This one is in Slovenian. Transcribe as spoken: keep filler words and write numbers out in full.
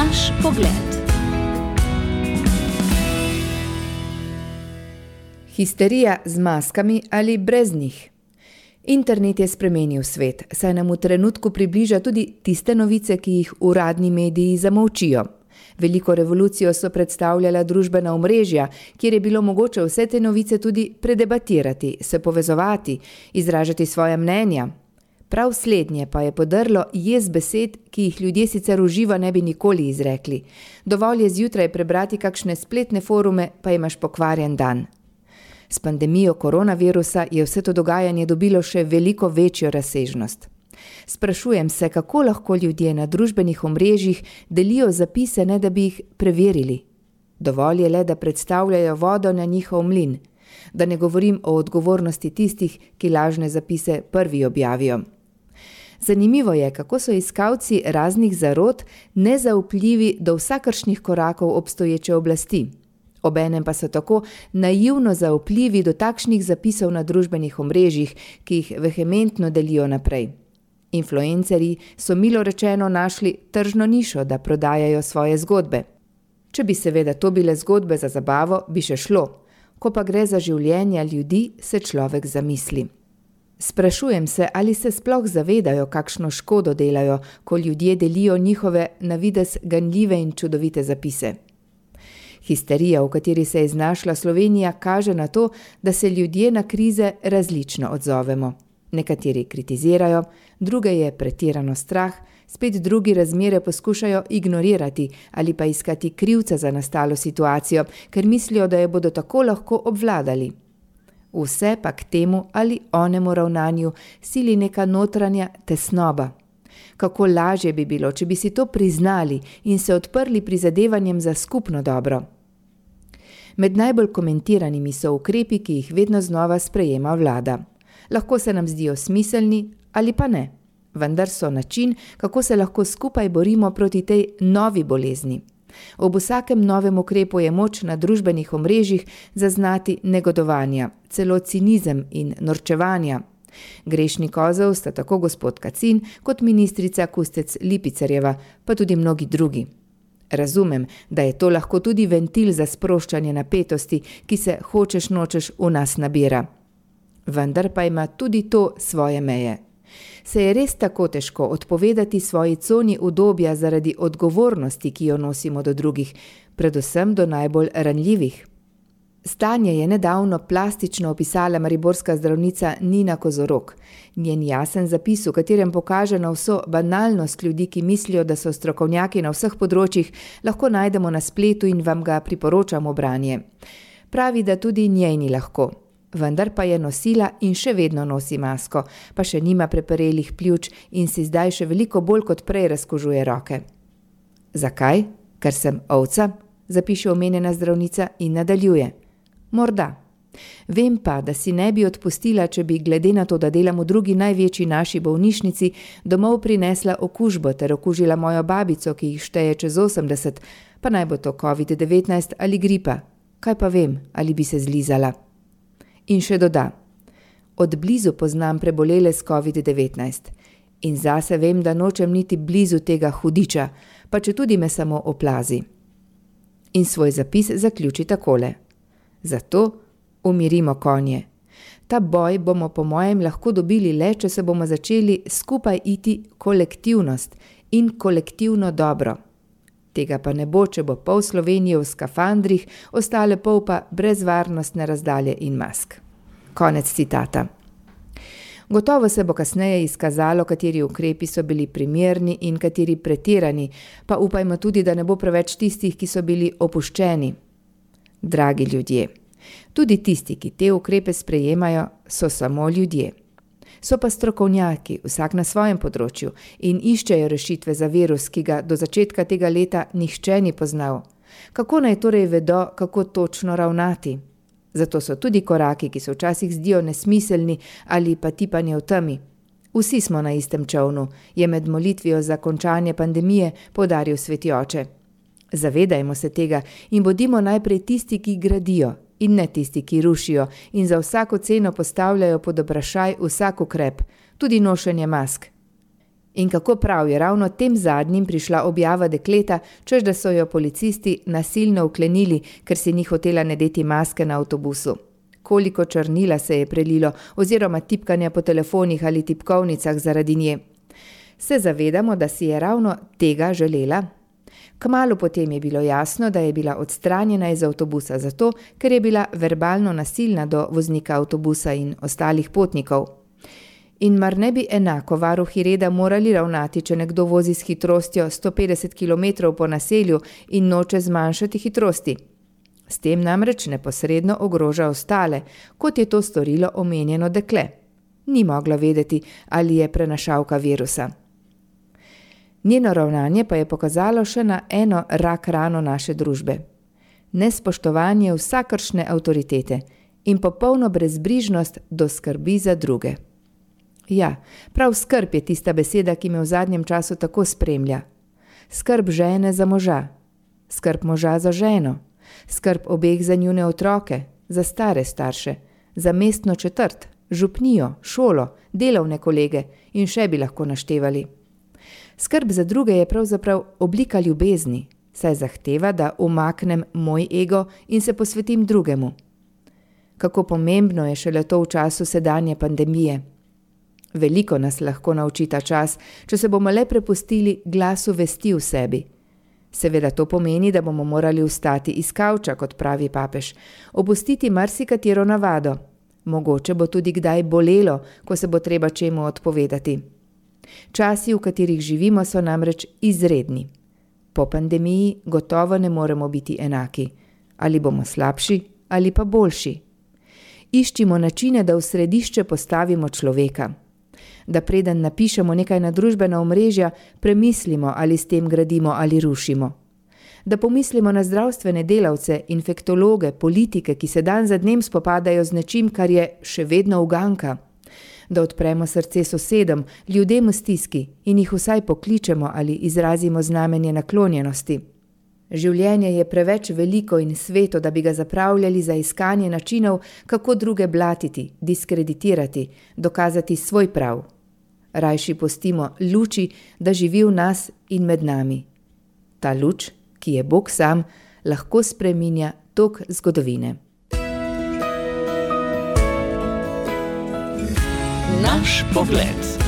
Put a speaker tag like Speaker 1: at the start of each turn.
Speaker 1: Naš pogled. Histerija z maskami ali brez njih? Internet je spremenil svet, saj nam v trenutku približa tudi tiste novice, ki jih uradni mediji zamolčijo. Veliko revolucijo so predstavljala družbena omrežja, kjer je bilo mogoče vse te novice tudi predebatirati, se povezovati, izražati svoja mnenja. Prav slednje pa je podrlo jez besed, ki jih ljudje sicer v živo ne bi nikoli izrekli. Dovolj je zjutraj prebrati kakšne spletne forume, pa imaš pokvarjen dan. S pandemijo koronavirusa je vse to dogajanje dobilo še veliko večjo razsežnost. Sprašujem se, kako lahko ljudje na družbenih omrežjih delijo zapise, ne da bi jih preverili. Dovolj je le, da predstavljajo vodo na njihov mlin. Da ne govorim o odgovornosti tistih, ki lažne zapise prvi objavijo. Zanimivo je, kako so iskalci raznih zarot nezaupljivi do vsakršnih korakov obstoječe oblasti. Obenem pa so tako naivno zaupljivi do takšnih zapisov na družbenih omrežjih, ki jih vehementno delijo naprej. Influencerji so milo rečeno našli tržno nišo, da prodajajo svoje zgodbe. Če bi seveda to bile zgodbe za zabavo, bi še šlo. Ko pa gre za življenja ljudi, se človek zamisli. Sprašujem se, ali se sploh zavedajo, kakšno škodo delajo, ko ljudje delijo njihove na videz ganljive in čudovite zapise. Histerija, v kateri se je znašla Slovenija, kaže na to, da se ljudje na krize različno odzovemo. Nekateri kritizirajo, druge je pretirano strah, spet drugi razmere poskušajo ignorirati ali pa iskati krivca za nastalo situacijo, ker mislijo, da jo bodo tako lahko obvladali. Vse pa k temu ali onemu ravnanju sili neka notranja tesnoba. Kako lažje bi bilo, če bi si to priznali in se odprli prizadevanjem za skupno dobro. Med najbolj komentiranimi so ukrepi, ki jih vedno znova sprejema vlada. Lahko se nam zdijo smiselni ali pa ne, vendar so način, kako se lahko skupaj borimo proti tej novi bolezni. Ob vsakem novem ukrepu je moč na družbenih omrežjih zaznati negodovanja, celo cinizem in norčevanja. Grešni kozel sta tako gospod Kacin kot ministrica Kustec Lipicerjeva, pa tudi mnogi drugi. Razumem, da je to lahko tudi ventil za sproščanje napetosti, ki se hočeš nočeš v nas nabira. Vendar pa ima tudi to svoje meje. Se je res tako težko odpovedati svoji coni udobja zaradi odgovornosti, ki jo nosimo do drugih, predvsem do najbolj ranljivih? Stanje je nedavno plastično opisala mariborska zdravnica Nina Kozorog. Njen jasen zapis, v katerem pokaže na vso banalnost ljudi, ki mislijo, da so strokovnjaki na vseh področjih, lahko najdemo na spletu in vam ga priporočamo branje. Pravi, da tudi njej ni lahko. Vendar pa je nosila in še vedno nosi masko, pa še nima preperelih pljuč in si zdaj še veliko bolj kot prej razkožuje roke. Zakaj? Ker sem ovca, zapiše omenjena zdravnica in nadaljuje. Morda. Vem pa, da si ne bi odpustila, če bi glede na to, da delam v drugi največji naši bolnišnici, domov prinesla okužbo ter okužila mojo babico, ki jih šteje čez osemdeset, pa naj bo to covid devetnajst ali gripa. Kaj pa vem, ali bi se zlizala. In še doda, od blizu poznam prebolele s covid devetnajst in zase vem, da nočem niti blizu tega hudiča, pa če tudi me samo oplazi. In svoj zapis zaključi takole. Zato umirimo konje. Ta boj bomo po mojem lahko dobili le, če se bomo začeli skupaj iti kolektivnost in kolektivno dobro. Tega pa ne bo, če bo pol Slovenije v skafandrih, ostale pol pa brez varnostne razdalje in mask. Konec citata. Gotovo se bo kasneje izkazalo, kateri ukrepi so bili primerni in kateri pretirani, pa upajmo tudi, da ne bo preveč tistih, ki so bili opuščeni. Dragi ljudje, tudi tisti, ki te ukrepe sprejemajo, so samo ljudje. So pa strokovnjaki, vsak na svojem področju, in iščejo rešitve za virus, ki ga do začetka tega leta nihče ni poznal. Kako naj torej vedo, kako točno ravnati? Zato so tudi koraki, ki se včasih zdijo nesmiselni ali pa tipanje v temi. Vsi smo na istem čovnu, je med molitvijo za končanje pandemije poudaril sveti oče. Zavedajmo se tega in bodimo najprej tisti, ki gradijo, in ne tisti, ki rušijo in za vsako ceno postavljajo pod vprašaj vsak ukrep, tudi nošenje mask. In kako prav je ravno tem zadnjim prišla objava dekleta, češ da so jo policisti nasilno vklenili, ker si ni hotela nadeti maske na avtobusu. Koliko črnila se je prelilo, oziroma tipkanja po telefonih ali tipkovnicah zaradi nje. Se zavedamo, da si je ravno tega želela? Kmalu potem je bilo jasno, da je bila odstranjena iz avtobusa zato, ker je bila verbalno nasilna do voznika avtobusa in ostalih potnikov. In mar ne bi enako varuhi reda morali ravnati, če nekdo vozi s hitrostjo sto petdeset kilometrov po naselju in noče zmanjšati hitrosti? S tem namreč neposredno ogroža ostale, kot je to storilo omenjeno dekle. Ni mogla vedeti, ali je prenašalka virusa. Njeno ravnanje pa je pokazalo še na eno rak rano naše družbe. Nespoštovanje vsakršne avtoritete in popolno brezbrižnost do skrbi za druge. Ja, prav skrb je tista beseda, ki me v zadnjem času tako spremlja. Skrb žene za moža, skrb moža za ženo, skrb obeh za njune otroke, za stare starše, za mestno četrt, župnijo, šolo, delovne kolege in še bi lahko naštevali. Skrb za druge je pravzaprav oblika ljubezni, saj zahteva, da umaknem moj ego in se posvetim drugemu. Kako pomembno je šele to v času sedanje pandemije. Veliko nas lahko nauči ta čas, če se bomo le prepustili glasu vesti v sebi. Seveda to pomeni, da bomo morali vstati iz kavča, kot pravi papež, opustiti marsikatero navado. Mogoče bo tudi kdaj bolelo, ko se bo treba čemu odpovedati. Časi, v katerih živimo, so namreč izredni. Po pandemiji gotovo ne moremo biti enaki. Ali bomo slabši, ali pa boljši. Iščimo načine, da v središče postavimo človeka. Da preden napišemo nekaj na družbena omrežja, premislimo, ali s tem gradimo ali rušimo. Da pomislimo na zdravstvene delavce, infektologe, politike, ki se dan za dnem spopadajo z nečim, kar je še vedno uganka. Da odpremo srce sosedom, ljudem v stiski in jih vsaj pokličemo ali izrazimo znamenje naklonjenosti. Življenje je preveč veliko in sveto, da bi ga zapravljali za iskanje načinov, kako druge blatiti, diskreditirati, dokazati svoj prav. Rajši pustimo luči, da živi v nas in med nami. Ta luč, ki je Bog sam, lahko spreminja tok zgodovine.
Speaker 2: Naš pogled.